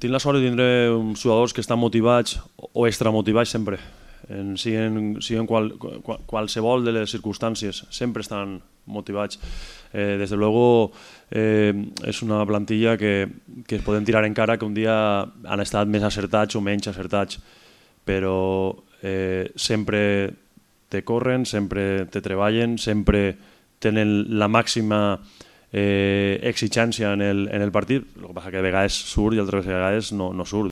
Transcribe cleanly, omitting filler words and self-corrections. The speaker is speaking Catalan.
Tinc la sort de tindre uns jugadors que estan motivats o extramotivats sempre, siguin qualsevol de les circumstàncies, sempre estan motivats. Des de luego és una plantilla que es podem tirar en cara que un dia han estat més acertats o menys acertats, però sempre te corren, sempre te treballen, sempre tenen la màxima exigència en el partit. El que passa que de vegades surt i altres vegades no surt.